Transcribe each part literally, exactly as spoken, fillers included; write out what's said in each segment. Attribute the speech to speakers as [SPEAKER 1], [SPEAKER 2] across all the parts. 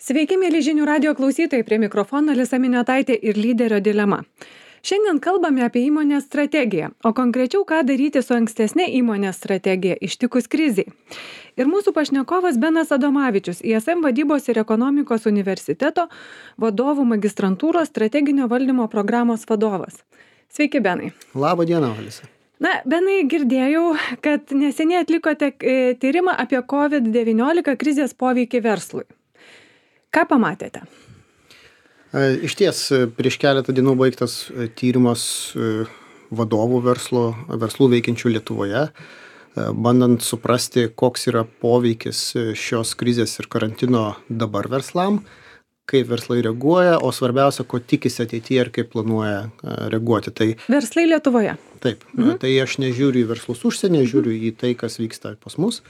[SPEAKER 1] Sveiki, mėly žinių radio klausytojai, prie mikrofono Alisa Miniotaitė ir lyderio dilema. Šiandien kalbame apie įmonės strategiją, o konkrečiau ką daryti su ankstesnė įmonės strategija ištikus krizei. Ir mūsų pašnekovas Benas Adomavičius, I S M vadybos ir ekonomikos universiteto vadovų magistrantūros strateginio valdymo programos vadovas. Sveiki, Benai.
[SPEAKER 2] Labą dieną, Alisa.
[SPEAKER 1] Na, Benai, girdėjau, kad neseniai atlikote e, tyrimą apie COVID devyniolika krizės poveikį verslui. Ką pamatėte?
[SPEAKER 2] Iš ties, prieš keletą dienų baigtas tyrimas vadovų verslo, verslų veikiančių Lietuvoje, bandant suprasti, koks yra poveikis šios krizės ir karantino dabar verslam, kaip verslai reaguoja, o svarbiausia, ko tikisi ateityje ir kaip planuoja reaguoti. Tai,
[SPEAKER 1] verslai Lietuvoje?
[SPEAKER 2] Taip, mhm. Tai aš nežiūriu į verslus užsienyje, žiūriu į tai, kas vyksta pas mus.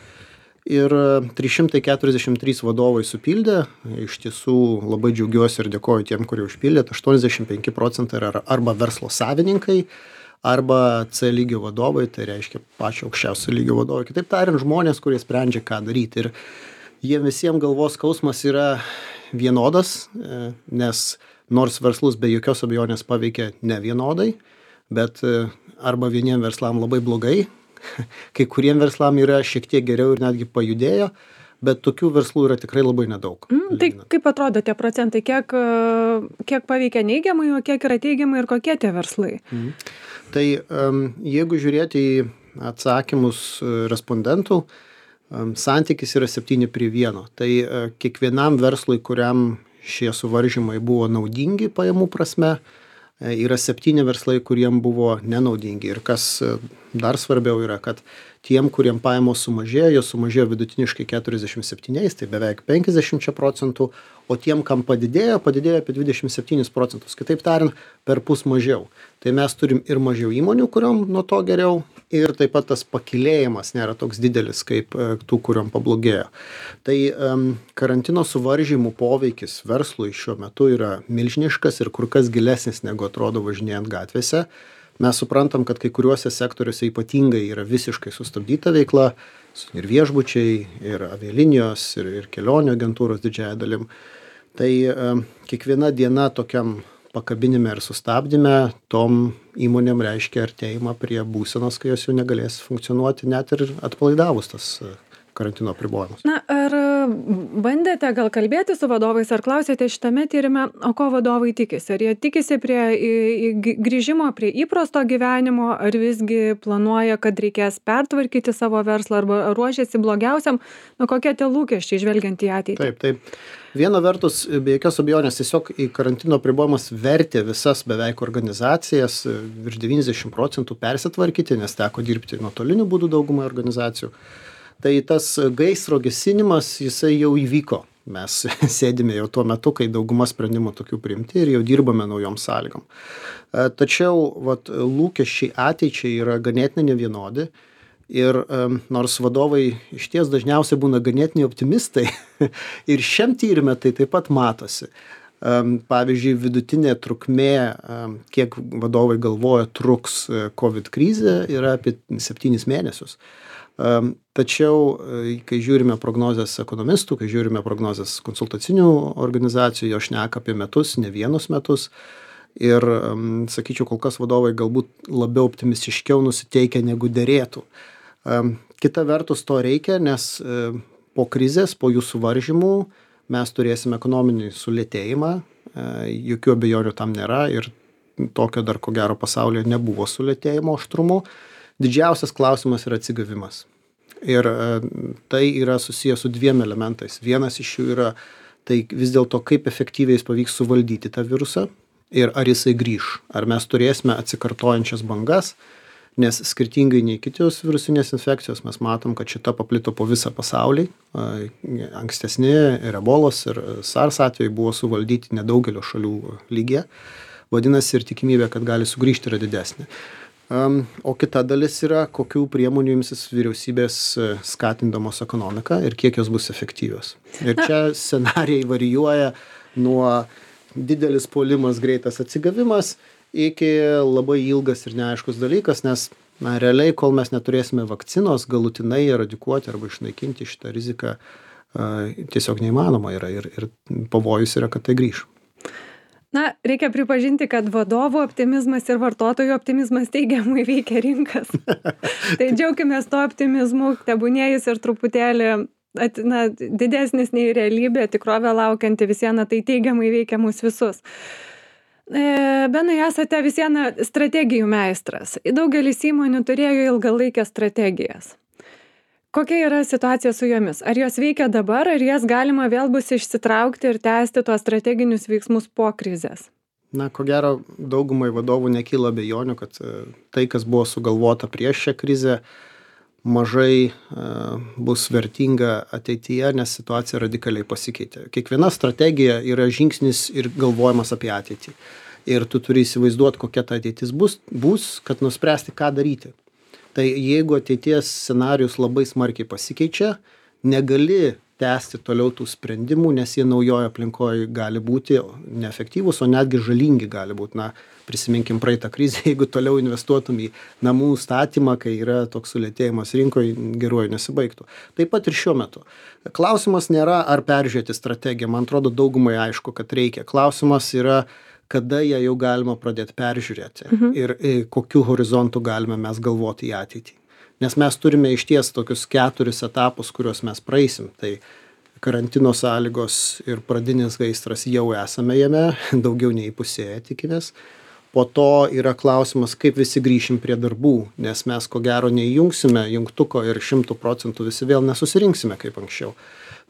[SPEAKER 2] Ir trys šimtai keturiasdešimt trys vadovai supildė, iš tiesų labai džiaugiuosi ir dėkoju tiem, kurie užpildė, aštuoniasdešimt penki procentai yra arba verslo savininkai, arba C lygio vadovai, tai reiškia pačio aukščiausio lygio vadovai. Kitaip tariant, žmonės, kurie sprendžia, ką daryti. Ir jiem visiems galvos skausmas yra vienodas, nes nors verslus be jokios abejonės paveikia ne vienodai, bet arba vieniem verslam labai blogai, kai kuriem verslam yra šiek tiek geriau ir netgi pajudėjo, bet tokių verslų yra tikrai labai nedaug.
[SPEAKER 1] Mm, tai kaip atrodo tie procentai, kiek, kiek paveikia neigiamai, o kiek yra teigiamai ir kokie tie verslai?
[SPEAKER 2] Mm. Tai um, jeigu žiūrėti į atsakymus respondentų, um, santykis yra septyni prie vieno. Tai uh, kiekvienam verslui, kuriam šie suvaržymai buvo naudingi pajamų prasme, yra septyni verslai, kuriem buvo nenaudingi. Ir kas dar svarbiau yra, kad tiem, kuriem pajamos sumažėjo, jos sumažėjo vidutiniškai keturiasdešimt septyniais, tai beveik penkiasdešimt procentų, o tiem, kam padidėjo, padidėjo apie dvidešimt septynis procentus. Kitaip tariant, per pus mažiau. Tai mes turim ir mažiau įmonių, kuriom nuo to geriau, ir taip pat tas pakilėjimas nėra toks didelis, kaip tų, kuriom pablogėjo. Tai um, karantino suvaržymų poveikis verslui šiuo metu yra milžiniškas ir kur kas gilesnis, negu atrodo važinėjant gatvėse. Mes suprantam, kad kai kuriuose sektoriuose ypatingai yra visiškai sustabdyta veikla, ir viešbučiai, ir avialinijos, ir, ir kelionių agentūros didžiąja dalim. Tai um, kiekviena diena tokiam pakabinime ir sustabdyme tom įmonėm reiškia artėjimą prie būsenos, kai jos jau negalės funkcionuoti net ir atpalaidavus tas karantino apribojimus.
[SPEAKER 1] Na, ar bandėte gal kalbėti su vadovais, ar klausėte šitame tyrime, o ko vadovai tikisi? Ar jie tikisi prie į, į grįžimo prie įprasto gyvenimo, ar visgi planuoja, kad reikės pertvarkyti savo verslą, arba ruošiasi blogiausiam? Nu, kokie tie lūkesčiai žvelgiant į ateitį?
[SPEAKER 2] Taip, taip. Viena vertus, be jokios abejonės, tiesiog į karantino apribojimas vertė visas beveik organizacijas, virš devyniasdešimt procentų persitvarkyti, nes teko dirbti nuotoliniu būdu daugumai organizacijų. Tai tas gaisro gesinimas, jisai jau įvyko. Mes sėdime jau tuo metu, kai dauguma sprendimų tokių priimti ir jau dirbame naujom sąlygom. Tačiau vat, lūkesčiai ateičiai yra ganėtinai nevienodi. Ir um, nors vadovai iš ties dažniausiai būna ganėtiniai optimistai ir šiam tyrime tai taip pat matosi. Um, pavyzdžiui, vidutinė trukmė, um, kiek vadovai galvoja truks COVID krizė, yra apie septynis mėnesius. Um, tačiau, kai žiūrime prognozes ekonomistų, kai žiūrime prognozes konsultacinių organizacijų, jos šneka apie metus, ne vienus metus. Ir, um, sakyčiau, kol kas vadovai galbūt labiau optimistiškiau nusiteikia negu derėtų. Um, kita vertus to reikia, nes um, po krizės, po jų suvaržymų mes turėsime ekonominį sulėtėjimą, uh, jokių abejonių tam nėra ir tokio dar ko gero pasaulyje nebuvo sulėtėjimo aštrumo. Didžiausias klausimas yra atsigavimas. Ir uh, tai yra susijęs su dviem elementais. Vienas iš jų yra tai vis dėlto, kaip efektyviai jis pavyks suvaldyti tą virusą ir ar jisai grįš. Ar mes turėsime atsikartojančias bangas, nes skirtingai nei kitos virusinės infekcijos mes matom, kad šita paplito po visą pasaulį. Ankstesni ir ebolos ir SARS atvejai buvo suvaldyti nedaugelio šalių lygyje. Vadinasi, ir tikimybė, kad gali sugrįžti, yra didesnė. Um, o kita dalis yra, kokių priemonių imsis vyriausybės skatindamos ekonomiką ir kiek jos bus efektyvios. Ir čia scenarijai varijuoja nuo didelis puolimas, greitas atsigavimas iki labai ilgas ir neaiškus dalykas, nes na, realiai, kol mes neturėsime vakcinos galutinai eradikuoti arba išnaikinti šitą riziką, tiesiog neįmanoma yra ir, ir pavojus yra, kad tai grįš.
[SPEAKER 1] Na, reikia pripažinti, kad vadovų optimizmas ir vartotojų optimizmas teigiamai veikia rinkas. Tai džiaukimės to optimizmu, tebūnėjus ir truputėlį at, na, didesnis nei realybė, tikrovė laukianti visieną, tai teigiamai veikia mus visus. E, Benai, esate visieną strategijų meistras. Daugelis įmonių turėjo ilgalaikės strategijas. Kokia yra situacija su jomis? Ar jos veikia dabar, ar jas galima vėl bus išsitraukti ir tęsti tuos strateginius veiksmus po krizės?
[SPEAKER 2] Na, ko gero, daugumai vadovų nekyla abejonių, kad tai, kas buvo sugalvota prieš šią krizę, mažai uh, bus vertinga ateityje, nes situacija radikaliai pasikeitė. Kiekviena strategija yra žingsnis ir galvojimas apie ateitį. Ir tu turi įsivaizduoti, kokia ta ateitis bus, bus, kad nuspręsti, ką daryti. Tai jeigu ateities scenarius labai smarkiai pasikeičia, negali tęsti toliau tų sprendimų, nes jie naujoje aplinkoje gali būti neefektyvūs, o netgi žalingi gali būti. Na, prisiminkim praeitą krizę, jeigu toliau investuotum į namų statymą, kai yra toks sulėtėjimas rinkoje, geruoju nesibaigtų. Taip pat ir šiuo metu. Klausimas nėra, ar peržiūrėti strategiją. Man atrodo, daugumai aišku, kad reikia. Klausimas yra, kada ją jau galima pradėti peržiūrėti mhm. ir, ir kokiu horizontu galime mes galvoti į ateitį. Nes mes turime išties tokius keturis etapus, kuriuos mes praeisim. Tai karantino sąlygos ir pradinis gaisras jau esame jame, daugiau nei pusėje tikimės. Po to yra klausimas, kaip visi grįšim prie darbų, nes mes ko gero neįjungsime jungtuko ir šimtų procentų visi vėl nesusirinksime kaip anksčiau.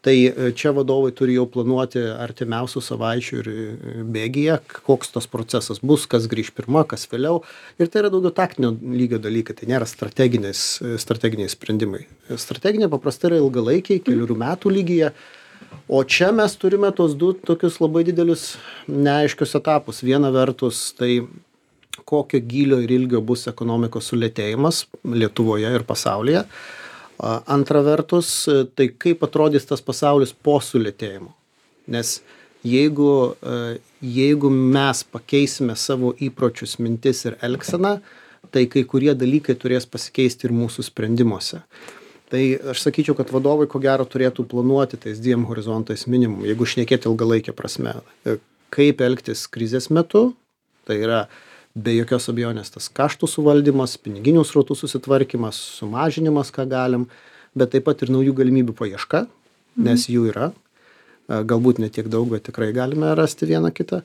[SPEAKER 2] Tai čia vadovai turi jau planuoti artimiausių savaičių ir bėgyje, koks tas procesas bus, kas grįš pirma, kas vėliau. Ir tai yra daugiau taktinio lygio dalykai, tai nėra strateginiai sprendimai. Strateginiai paprastai yra ilgalaikiai, kelių metų lygyje. O čia mes turime tos du tokius labai didelius neaiškius etapus. Viena vertus, tai kokio gylio ir ilgio bus ekonomikos sulėtėjimas Lietuvoje ir pasaulyje. Antra vertus, tai kaip atrodys tas pasaulis po sulėtėjimo. Nes jeigu, jeigu mes pakeisime savo įpročius, mintis ir elgseną, tai kai kurie dalykai turės pasikeisti ir mūsų sprendimuose. Tai aš sakyčiau, kad vadovai ko gero turėtų planuoti tais dviem horizontais minimum, jeigu šnekėti ilgalaikę prasme. Kaip elgtis krizės metu, tai yra be jokios abejonės tas kaštų suvaldymas, piniginių srautų susitvarkymas, sumažinimas, ką galim, bet taip pat ir naujų galimybių paieška, nes jų yra. Galbūt ne tiek daug, bet tikrai galime rasti vieną kitą.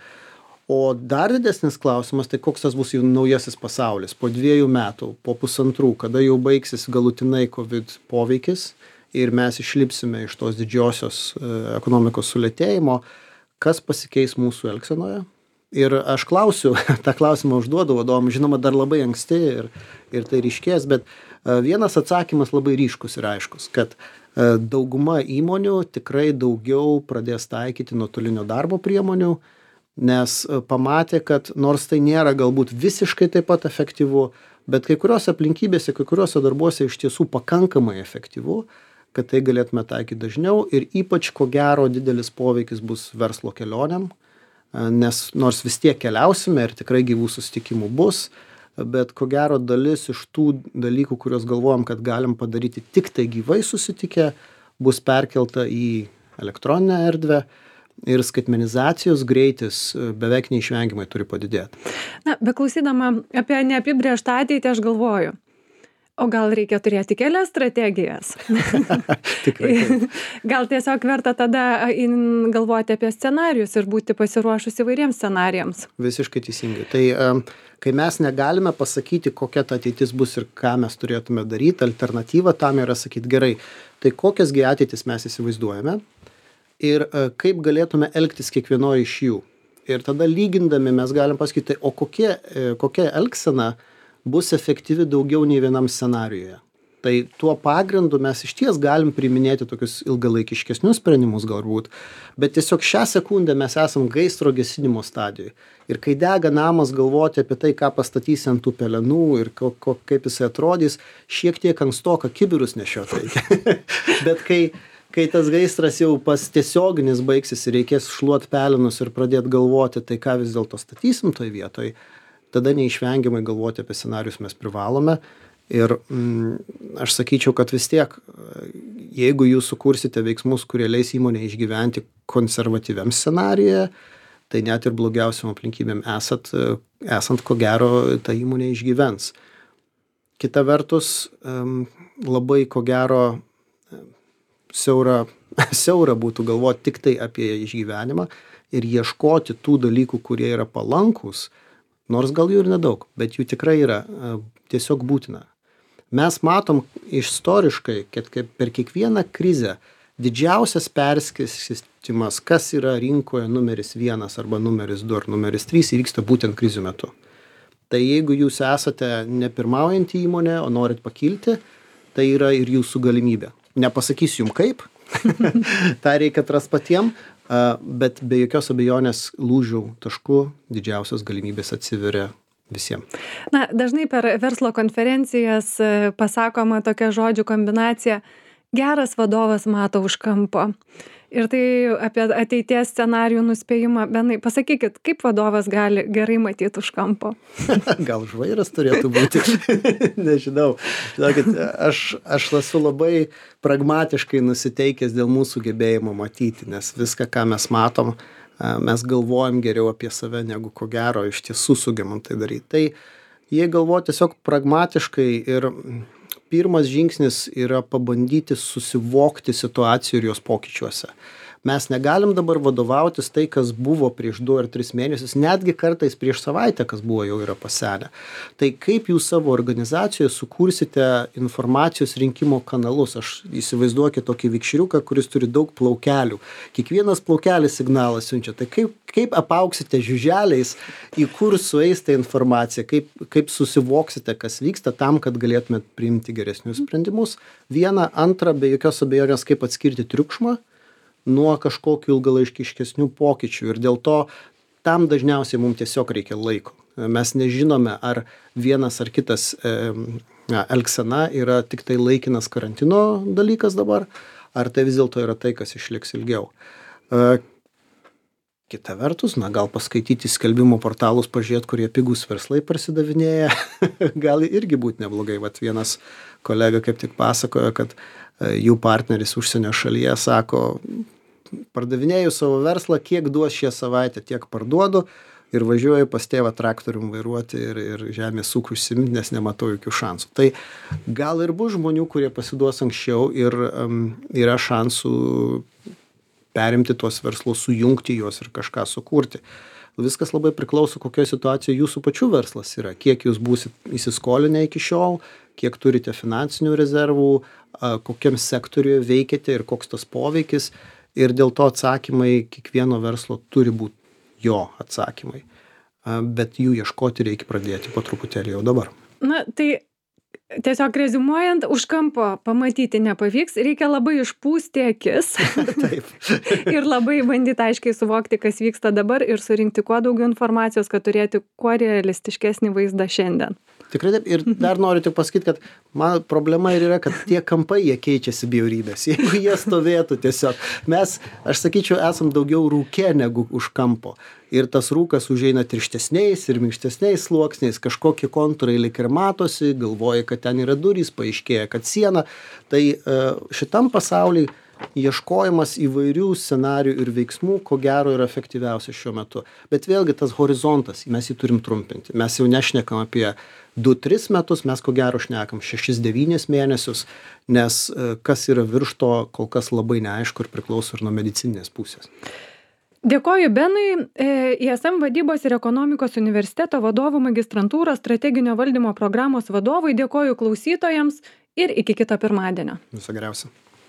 [SPEAKER 2] O dar didesnis klausimas, tai koks tas bus jau naujasis pasaulis po dviejų metų, po pusantrų, kada jau baigsis galutinai COVID poveikis ir mes išlipsime iš tos didžiosios ekonomikos sulėtėjimo, kas pasikeis mūsų elgsenoje. Ir aš klausiu, tą klausimą užduodu vadovam, žinoma, dar labai anksti ir, ir tai ryškės, bet vienas atsakymas labai ryškus ir aiškus, kad dauguma įmonių tikrai daugiau pradės taikyti nuotolinio darbo priemonių, nes pamatė, kad nors tai nėra galbūt visiškai taip pat efektyvu, bet kai kuriuose aplinkybėse, kai kuriuose darbuose iš tiesų pakankamai efektyvu, kad tai galėtume taikyti dažniau ir ypač ko gero didelis poveikis bus verslo kelionėm. Nes nors vis tiek keliausime ir tikrai gyvų susitikimų bus, bet ko gero dalis iš tų dalykų, kuriuos galvojam, kad galim padaryti tik tai gyvai susitikę, bus perkelta į elektroninę erdvę ir skaitmenizacijos greitis beveik neišvengiamai turi padidėti.
[SPEAKER 1] Na, beklausydama apie neapibrėžtą ateitį, aš galvoju, o gal reikia turėti kelias strategijas?
[SPEAKER 2] Tikrai.
[SPEAKER 1] Gal tiesiog verta tada galvoti apie scenarijus ir būti pasiruošus įvairiems scenarijams?
[SPEAKER 2] Visiškai teisingai. Tai kai mes negalime pasakyti, kokia ta ateitis bus ir ką mes turėtume daryti, alternatyva tam yra sakyti gerai, tai kokiasgi ateitis mes įsivaizduojame ir kaip galėtume elgtis kiekvienoje iš jų. Ir tada lygindami mes galim pasakyti, o kokie, kokia elgsena bus efektyvi daugiau nei vienam scenarijoje. Tai tuo pagrindu mes iš ties galim priiminėti tokius ilgalaikiškesnius sprendimus galbūt, bet tiesiog šią sekundę mes esam gaisro gesinimo stadijoje. Ir kai dega namas, galvoti apie tai, ką pastatysi ant tų pelenų ir ko, ko, kaip jisai atrodys, šiek tiek ankstoka kibirus nešioti reikia. Bet kai, kai tas gaisras jau pas tiesioginis baigsis ir reikės šluot pelenus ir pradėti galvoti, tai ką vis dėlto statysim toj vietoj, tada neišvengiamai galvoti apie scenarius mes privalome Ir mm, aš sakyčiau, kad vis tiek, jeigu jūs sukursite veiksmus, kurie leis įmonė išgyventi konservatyviam scenarijoje, tai net ir blogiausiam aplinkybėm esat, esant ko gero, ta įmonė išgyvens. Kita vertus, labai ko gero siaura, siaura būtų galvoti tik tai apie išgyvenimą ir ieškoti tų dalykų, kurie yra palankus, nors gal jų ir nedaug, bet jų tikrai yra tiesiog būtina. Mes matom istoriškai, kad per kiekvieną krizę didžiausias perskirstymas, kas yra rinkoje numeris vienas arba numeris du ar numeris trys, įvyksta būtent krizių metu. Tai jeigu jūs esate ne pirmaujantį įmonę, o norit pakilti, tai yra ir jūsų galimybė. Nepasakysiu jums kaip, tą reikia atrast patiem, bet be jokios abejonės lūžių taškų didžiausios galimybės atsiveria visiems.
[SPEAKER 1] Na, dažnai per verslo konferencijas pasakoma tokia žodžių kombinacija: geras vadovas mato už kampo. Ir tai apie ateities scenarijų nuspėjimą. Benai, pasakykit, kaip vadovas gali gerai matyti už kampo?
[SPEAKER 2] Gal žvairas turėtų būti? Nežinau. Žinokit, aš, aš esu labai pragmatiškai nusiteikęs dėl mūsų gebėjimo matyti, nes viską, ką mes matom, mes galvojam geriau apie save, negu ko gero iš tiesų sugebam tai daryti. Tai jie galvoja tiesiog pragmatiškai ir pirmas žingsnis yra pabandyti susivokti situacijų ir jos pokyčiuose. Mes negalim dabar vadovautis tai, kas buvo prieš du ar tris mėnesius, netgi kartais prieš savaitę, kas buvo jau yra pasenę. Tai kaip jūs savo organizacijoje sukursite informacijos rinkimo kanalus? Aš įsivaizduokit tokį vikšriuką, kuris turi daug plaukelių. Kiekvienas plaukelis signalą siunčia. Tai kaip, kaip apauksite žiuželiais, į kur sueis ta informacija, kaip, kaip susivoksite, kas vyksta tam, kad galėtumėt priimti geresnius sprendimus. Viena, antra, be jokios abejonės, kaip atskirti triukšmą nuo kažkokių ilgalaikiškesnių pokyčių. Ir dėl to tam dažniausiai mums tiesiog reikia laiko. Mes nežinome, ar vienas ar kitas e, elgsena yra tik tai laikinas karantino dalykas dabar, ar tai vis dėlto yra tai, kas išliks ilgiau. E, kita vertus, na, gal paskaityti skelbimų portalus, pažiūrėti, kurie pigūs verslai parsidavinėja, gali irgi būti neblogai. Vat vienas kolega kaip tik pasakojo, kad jų partneris užsienio šalyje sako: pardavinėju savo verslą, kiek duos šią savaitę, tiek parduodu ir važiuoju pas tėvą traktorium vairuoti ir, ir žemės ūkiu užsiimti, nes nematau jokių šansų. Tai gal ir bus žmonių, kurie pasiduos anksčiau ir um, yra šansų perimti tuos verslus, sujungti juos ir kažką sukurti. Viskas labai priklauso, kokioje situacijoje jūsų pačių verslas yra, kiek jūs būsit įsiskolinę iki šiol, kiek turite finansinių rezervų, kokiam sektoriuje veikiate ir koks tas poveikis. Ir dėl to atsakymai kiekvieno verslo turi būti jo atsakymai. Bet jų ieškoti reikia pradėti po truputėlį jau dabar.
[SPEAKER 1] Na, tai tiesiog reziumuojant, už kampo pamatyti nepavyks, reikia labai išpūsti akis.
[SPEAKER 2] Taip.
[SPEAKER 1] Ir labai bandyti aiškiai suvokti, kas vyksta dabar ir surinkti kuo daugiau informacijos, kad turėti kuo realistiškesnį vaizdą šiandien.
[SPEAKER 2] Tikrai taip. Ir dar noriu tik pasakyti, kad man problema ir yra, kad tie kampai, jie keičiasi bjaurybės. Jeigu jie stovėtų tiesiog. Mes, aš sakyčiau, esam daugiau rūke negu už kampo. Ir tas rūkas užeina tirštesniais ir minkštesniais sluoksniais, kažkokie kontūrai lyg ir matosi, galvoja, kad ten yra durys, paaiškėja, kad siena. Tai šitam pasauliui ieškojimas įvairių scenarijų ir veiksmų, ko gero, yra efektyviausias šiuo metu. Bet vėlgi tas horizontas, mes jį turim trumpinti. Mes jau nešnekam apie du tris metus, mes ko gero šnekam šešis devynis mėnesius, nes kas yra virš to, kol kas labai neaišku ir priklauso ir nuo medicininės pusės.
[SPEAKER 1] Dėkoju Benui, I S M vadybos ir ekonomikos universiteto vadovų magistrantūros strateginio valdymo programos vadovui, dėkoju klausytojams ir iki kito pirmadienio.
[SPEAKER 2] Viso geriausio.